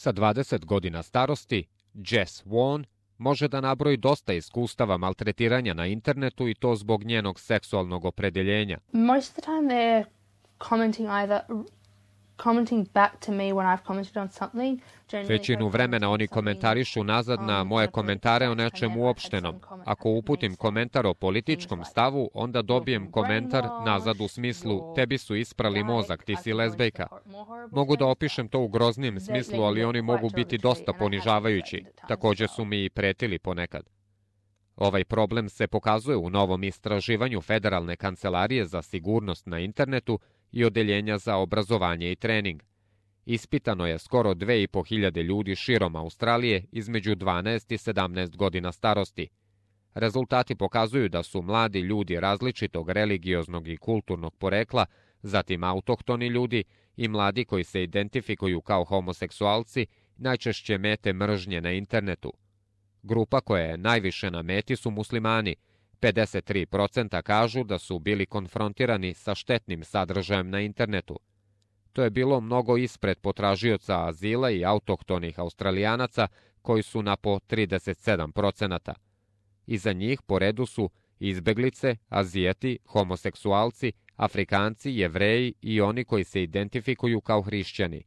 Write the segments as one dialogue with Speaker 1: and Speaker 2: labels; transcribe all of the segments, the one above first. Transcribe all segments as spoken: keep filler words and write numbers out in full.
Speaker 1: Sa dvadeset godina starosti, Jess Won može da nabroji dosta iskustava maltretiranja na internetu i to zbog njenog seksualnog opredeljenja.
Speaker 2: Most of the time they're commenting either commenting back to me when I've commented on something.
Speaker 1: Većinu vremena oni komentarišu nazad na moje komentare o nečemu uopštenom. Ako uputim komentar o političkom stavu, onda dobijem komentar nazad u smislu tebi su isprali mozak, ti si lezbejka. Mogu da opišem to u groznijem smislu, ali oni mogu biti dosta ponižavajući. Također su mi i pretili ponekad. Ovaj problem se pokazuje u novom istraživanju Federalne kancelarije za sigurnost na internetu i Odeljenja za obrazovanje i trening. Ispitano je skoro dve i po hiljade ljudi širom Australije između dvanaest i sedamnaest godina starosti. Rezultati pokazuju da su mladi ljudi različitog religioznog i kulturnog porekla, zatim autohtoni ljudi i mladi koji se identifikuju kao homoseksualci najčešće mete mržnje na internetu. Grupa koja je najviše na meti su muslimani. pedeset tri posto kažu da su bili konfrontirani sa štetnim sadržajem na internetu. To je bilo mnogo ispred potražioca azila i autohtonih Australijanaca koji su na po trideset sedam posto. Iza njih po redu su izbeglice, Azijeti, homoseksualci, Afrikanci, Jevreji i oni koji se identifikuju kao hrišćani.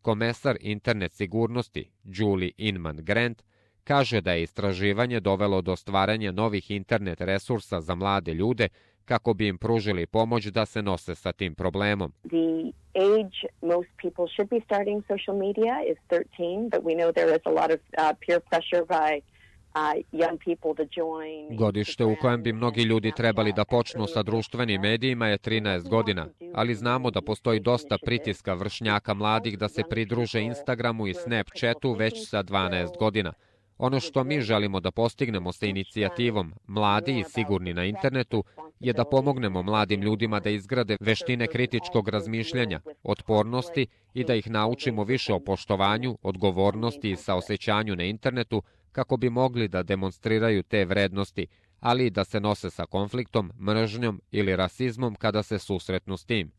Speaker 1: Komesar internet sigurnosti Julie Inman Grant kaže da je istraživanje dovelo do stvaranja novih internet resursa za mlade ljude kako bi im pružili pomoć da se nose sa tim problemom.
Speaker 3: The age most people should be starting social media is thirteen, but we know there is a lot of uh, peer pressure by uh, young people to join.
Speaker 1: Godište u kojem bi mnogi ljudi trebali da počnu sa društvenim medijima je trinaest godina, ali znamo da postoji dosta pritiska vršnjaka mladih da se pridruže Instagramu i Snapchatu već sa dvanaest godina. Ono što mi želimo da postignemo sa inicijativom Mladi i sigurni na internetu je da pomognemo mladim ljudima da izgrade veštine kritičkog razmišljanja, otpornosti i da ih naučimo više o poštovanju, odgovornosti i saosećanju na internetu kako bi mogli da demonstriraju te vrednosti, ali i da se nose sa konfliktom, mržnjom ili rasizmom kada se susretnu s tim.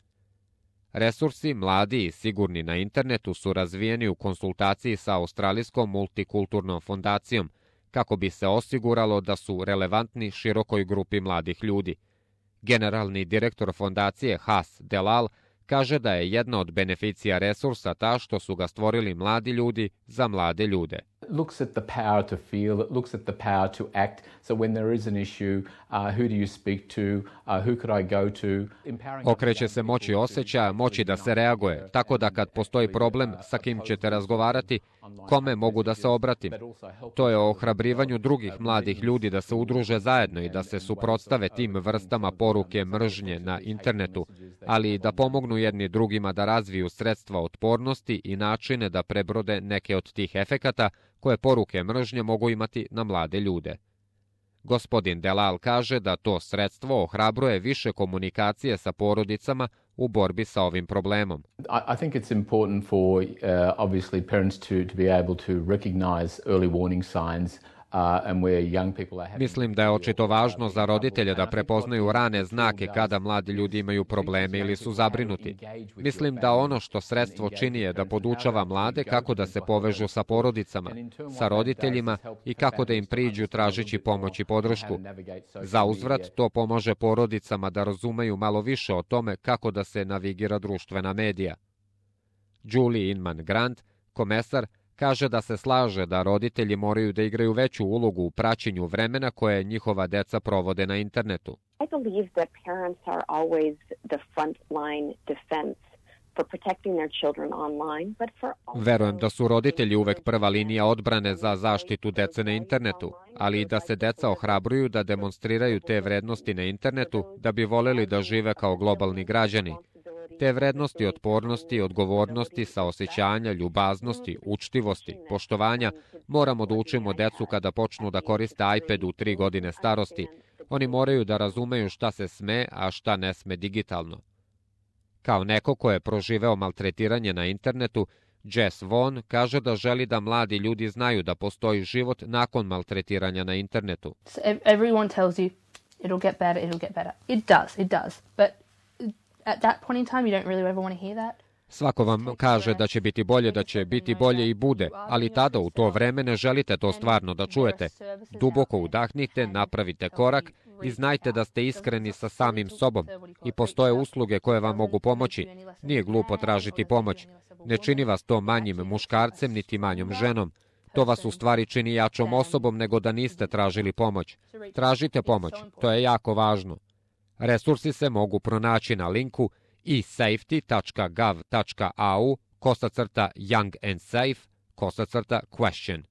Speaker 1: Resursi Mladi i sigurni na internetu su razvijeni u konsultaciji sa Australijskom multikulturnom fondacijom kako bi se osiguralo da su relevantni širokoj grupi mladih ljudi. Generalni direktor fondacije Has Delal kaže da je jedna od beneficija resursa ta što su ga stvorili mladi ljudi za mlade ljude.
Speaker 4: Looks at the power to feel, it looks at the power to act. So when there is an issue, uh, who do you speak to, uh, who could I go to?
Speaker 1: Okreće se moći osjećaja, moći da se reaguje, tako da kad postoji problem sa kim ćete razgovarati, kome mogu da se obratim. To je o ohrabrivanju drugih mladih ljudi da se udruže zajedno i da se suprotstave tim vrstama poruke mržnje na internetu, ali i da pomognu jedni drugima da razviju sredstva otpornosti i načine da prebrode neke od tih efekata koje poruke mržnje mogu imati na mlade ljude. Gospodin Delal kaže da to sredstvo ohrabruje više komunikacije sa porodicama u borbi sa ovim problemom.
Speaker 4: I think it's important for uh, obviously parents to to be able to recognize early warning signs.
Speaker 1: Mislim da je očito važno za roditelje da prepoznaju rane znake kada mladi ljudi imaju probleme ili su zabrinuti. Mislim da ono što sredstvo čini je da podučava mlade kako da se povežu sa porodicama, sa roditeljima i kako da im priđu tražeći pomoć i podršku. Za uzvrat to pomaže porodicama da razumeju malo više o tome kako da se navigira društvena medija. Julie Inman Grant, komesar, kaže da se slaže da roditelji moraju da igraju veću ulogu u praćenju vremena koje njihova deca provode na internetu.
Speaker 3: I believe that parents are always the front line defense for protecting their children online, but for
Speaker 1: Verujem da su roditelji uvek prva linija odbrane za zaštitu dece na internetu, ali i da se deca ohrabruju da demonstriraju te vrednosti na internetu da bi voleli da žive kao globalni građani. Te vrednosti otpornosti, odgovornosti, saosećanja, ljubaznosti, učtivosti, poštovanja moramo da učimo decu kada počnu da koriste iPad u tri godine starosti. Oni moraju da razumeju šta se sme, a šta ne sme digitalno. Kao neko ko je proživeo maltretiranje na internetu, Jess Won kaže da želi da mladi ljudi znaju da postoji život nakon maltretiranja na internetu.
Speaker 2: So everyone tells you it'll get better, it'll get better. It does, it does. But at that point in time, you don't really ever want to hear that.
Speaker 1: Svako vam kaže da će biti bolje, da će biti bolje i bude, ali tada u to vreme ne želite to stvarno da čujete. Duboko udahnite, napravite korak i znajte da ste iskreni sa samim sobom i postoje usluge koje vam mogu pomoći. Nije glupo tražiti pomoć. Ne čini vas to manjim muškarcem niti manjom ženom. To vas u stvari čini jačom osobom nego da niste tražili pomoć. Tražite pomoć, to je jako važno. Resursi se mogu pronaći na linku e safety tačka gov tačka a u kosacrta young and safe kosacrta question.